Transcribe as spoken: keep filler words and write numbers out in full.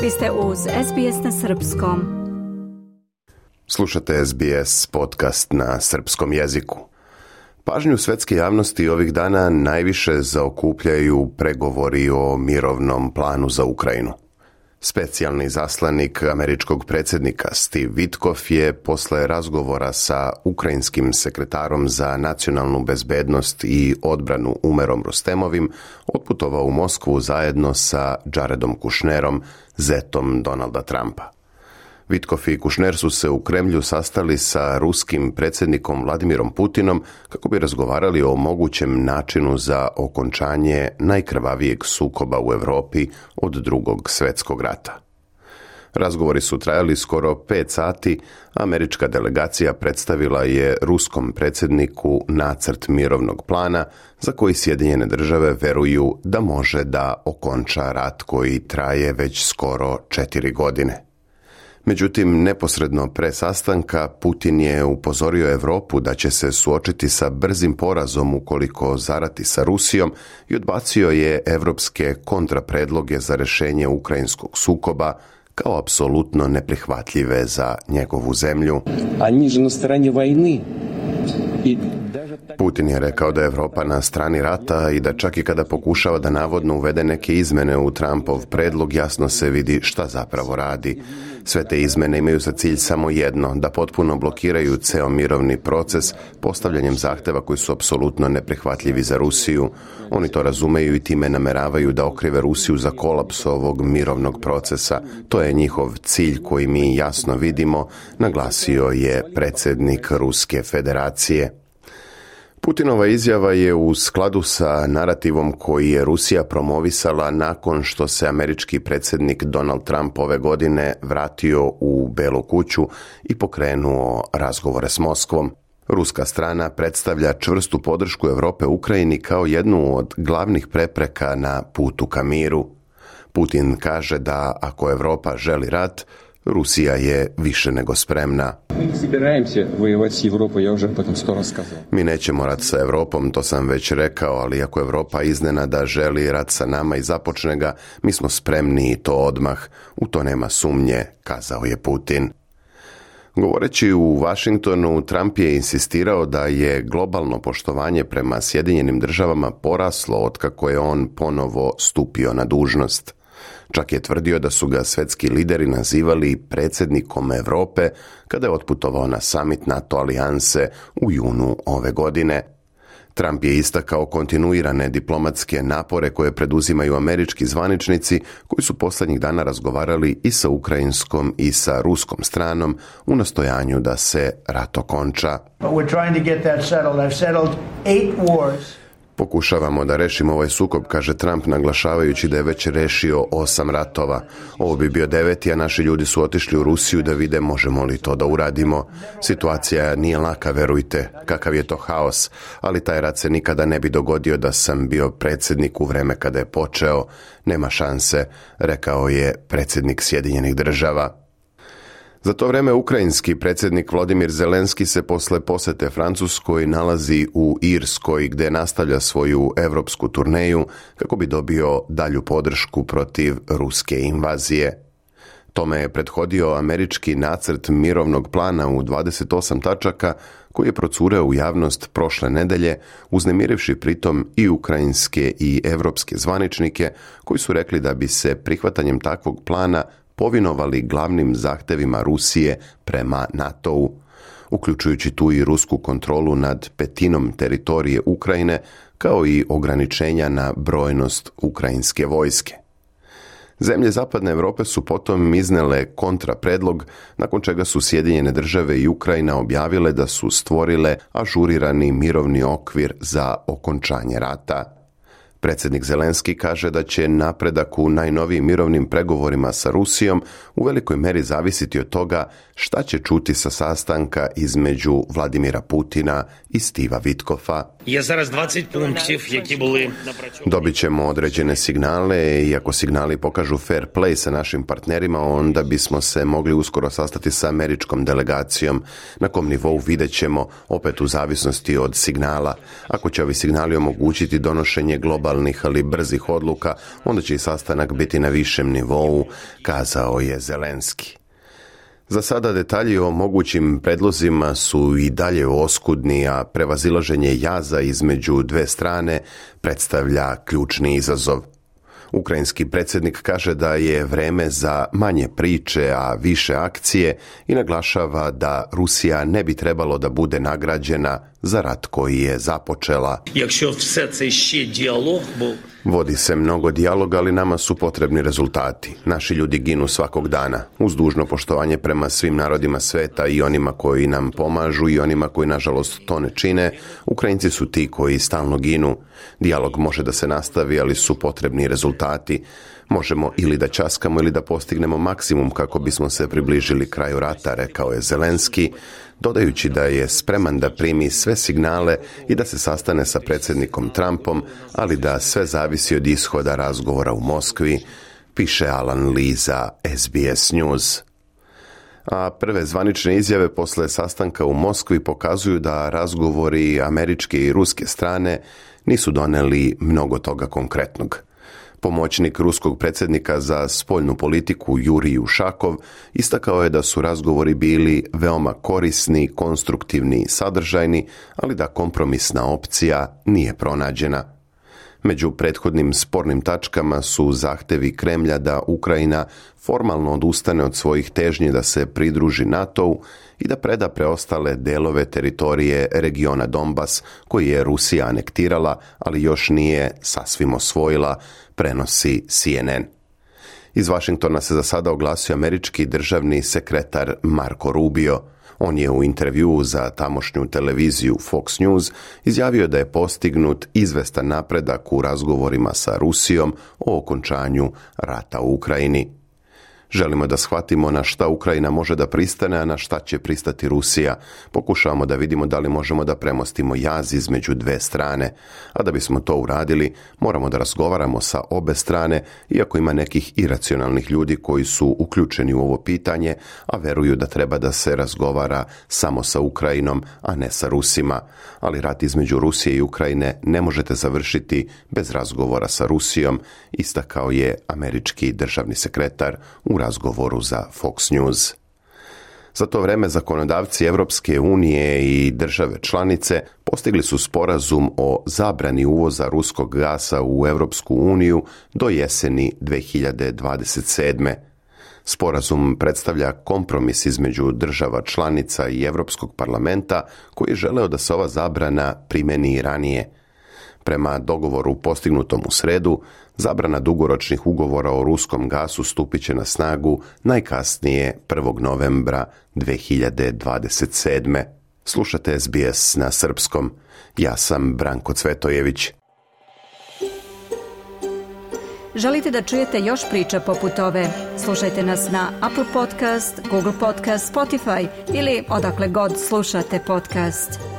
Vi ste uz S B S na srpskom. Slušate S B S podcast na srpskom jeziku. Pažnju svetske javnosti ovih dana najviše zaokupljaju pregovori o mirovnom planu za Ukrajinu. Specijalni zaslanik američkog predsjednika Steve Witkoff je posle razgovora sa ukrajinskim sekretarom za nacionalnu bezbednost i odbranu Umerom Rustemovim otputovao u Moskvu zajedno sa Jaredom Kushnerom, zetom Donalda Trumpa. Witkoff i Kushner su se u Kremlju sastali sa ruskim predsjednikom Vladimirom Putinom kako bi razgovarali o mogućem načinu za okončanje najkrvavijeg sukoba u Europi od drugog svjetskog rata. Razgovori su trajali skoro pet sati, a američka delegacija predstavila je ruskom predsjedniku nacrt mirovnog plana za koji Sjedinjene države veruju da može da okonča rat koji traje već skoro četiri godine. Međutim, neposredno pre sastanka Putin je upozorio Europu da će se suočiti sa brzim porazom ukoliko zarati sa Rusijom i odbacio je evropske kontrapredloge za rješenje ukrajinskog sukoba kao apsolutno neprihvatljive za njegovu zemlju. Oni su na strani vojne. Putin je rekao da je Europa na strani rata i da čak i kada pokušava da navodno uvede neke izmene u Trumpov predlog, jasno se vidi šta zapravo radi. Sve te izmene imaju za cilj samo jedno, da potpuno blokiraju ceo mirovni proces postavljanjem zahteva koji su apsolutno neprihvatljivi za Rusiju. Oni to razumeju i time nameravaju da okrive Rusiju za kolaps ovog mirovnog procesa. To je njihov cilj koji mi jasno vidimo, naglasio je predsjednik Ruske federacije. Putinova izjava je u skladu sa narativom koji je Rusija promovisala nakon što se američki predsjednik Donald Trump ove godine vratio u Belu kuću i pokrenuo razgovore s Moskvom. Ruska strana predstavlja čvrstu podršku Europe Ukrajini kao jednu od glavnih prepreka na putu ka miru. Putin kaže da ako Europa želi rat, Rusija je više nego spremna. Mi nećemo rat sa Europom, to sam već rekao, ali ako Europa iznenada želi rat sa nama i započne ga, mi smo spremni i to odmah. U to nema sumnje, kazao je Putin. Govoreći u Washingtonu, Trump je insistirao da je globalno poštovanje prema Sjedinjenim državama poraslo otkako je on ponovo stupio na dužnost. Čak je tvrdio da su ga svetski lideri nazivali predsjednikom Europe kada je otputovao na summit NATO alijanse u junu ove godine. Trump je istakao kontinuirane diplomatske napore koje preduzimaju američki zvaničnici koji su posljednjih dana razgovarali i sa ukrajinskom i sa ruskom stranom u nastojanju da se rat okonča. Pokušavamo da rešimo ovaj sukob, kaže Trump, naglašavajući da je već rešio osam ratova. Ovo bi bio deveti, a naši ljudi su otišli u Rusiju da vide možemo li to da uradimo. Situacija nije laka, verujte, kakav je to haos, ali taj rat se nikada ne bi dogodio da sam bio predsjednik u vreme kada je počeo. Nema šanse, rekao je predsjednik Sjedinjenih država. Za to vreme ukrajinski predsjednik Volodymyr Zelenski se posle posete Francuskoj nalazi u Irskoj gdje nastavlja svoju evropsku turneju kako bi dobio dalju podršku protiv ruske invazije. Tome je prethodio američki nacrt mirovnog plana u dvadeset osam tačaka koji je procureo u javnost prošle nedelje, uznemirivši pritom i ukrajinske i evropske zvaničnike koji su rekli da bi se prihvatanjem takvog plana povinovali glavnim zahtevima Rusije prema NATO-u, uključujući tu i rusku kontrolu nad petinom teritorije Ukrajine, kao i ograničenja na brojnost ukrajinske vojske. Zemlje zapadne Europe su potom iznele kontrapredlog, nakon čega su Sjedinjene države i Ukrajina objavile da su stvorile ažurirani mirovni okvir za okončanje rata. Predsjednik Zelenski kaže da će napredak u najnovijim mirovnim pregovorima sa Rusijom u velikoj meri zavisiti od toga šta će čuti sa sastanka između Vladimira Putina i Steva Witkoffa. Dobit ćemo određene signale i ako signali pokažu fair play sa našim partnerima, onda bismo se mogli uskoro sastati sa američkom delegacijom. Na kom nivou vidjet ćemo, opet u zavisnosti od signala. Ako će ovi signali omogućiti donošenje globalnog globalnih ali brzih odluka, onda će i sastanak biti na višem nivou, kazao je Zelenski. Za sada detalji o mogućim predlozima su i dalje oskudni, a prevazilaženje jaza između dve strane predstavlja ključni izazov. Ukrajinski predsjednik kaže da je vreme za manje priče, a više akcije i naglašava da Rusija ne bi trebalo da bude nagrađena za rat koji je započela. Vodi se mnogo dijaloga, ali nama su potrebni rezultati. Naši ljudi ginu svakog dana. Uz dužno poštovanje prema svim narodima sveta i onima koji nam pomažu i onima koji nažalost to ne čine, Ukrajinci su ti koji stalno ginu. Dijalog može da se nastavi, ali su potrebni rezultati. Možemo ili da ćaskamo ili da postignemo maksimum kako bismo se približili kraju rata, rekao je Zelenski, dodajući da je spreman da primi sve signale i da se sastane sa predsjednikom Trumpom, ali da sve zavisi od ishoda razgovora u Moskvi, piše Alan Lee za S B S News. A prve zvanične izjave posle sastanka u Moskvi pokazuju da razgovori američke i ruske strane nisu doneli mnogo toga konkretnog. Pomoćnik ruskog predsjednika za spoljnu politiku Jurij Ušakov istakao je da su razgovori bili veoma korisni, konstruktivni i sadržajni, ali da kompromisna opcija nije pronađena. Među prethodnim spornim tačkama su zahtevi Kremlja da Ukrajina formalno odustane od svojih težnji da se pridruži NATO-u i da preda preostale delove teritorije regiona Donbas koji je Rusija anektirala, ali još nije sasvim osvojila, prenosi C N N. Iz Vašingtona se za sada oglasio američki državni sekretar Marco Rubio. On je u intervjuu za tamošnju televiziju Fox News izjavio da je postignut izvestan napredak u razgovorima sa Rusijom o okončanju rata u Ukrajini. Želimo da shvatimo na šta Ukrajina može da pristane, a na šta će pristati Rusija. Pokušavamo da vidimo da li možemo da premostimo jaz između dve strane. A da bismo to uradili, moramo da razgovaramo sa obe strane, iako ima nekih iracionalnih ljudi koji su uključeni u ovo pitanje, a veruju da treba da se razgovara samo sa Ukrajinom, a ne sa Rusima. Ali rat između Rusije i Ukrajine ne možete završiti bez razgovora sa Rusijom, istakao je američki državni sekretar u razgovoru za Fox News. Za to vreme zakonodavci Evropske unije i države članice postigli su sporazum o zabrani uvoza ruskog gasa u Evropsku uniju do jeseni dve hiljade dvadeset sedme. Sporazum predstavlja kompromis između država članica i Evropskog parlamenta koji je želeo da se ova zabrana primeni i ranije. Prema dogovoru postignutom u sredu, zabrana dugoročnih ugovora o ruskom gasu stupit će na snagu najkasnije prvog novembra dve hiljade dvadeset sedme. Slušate S B S na srpskom. Ja sam Branko Cvetojević. Želite da čujete još priča poput ove? Slušajte nas na Apple Podcast, Google Podcast, Spotify ili odakle god slušate podcast.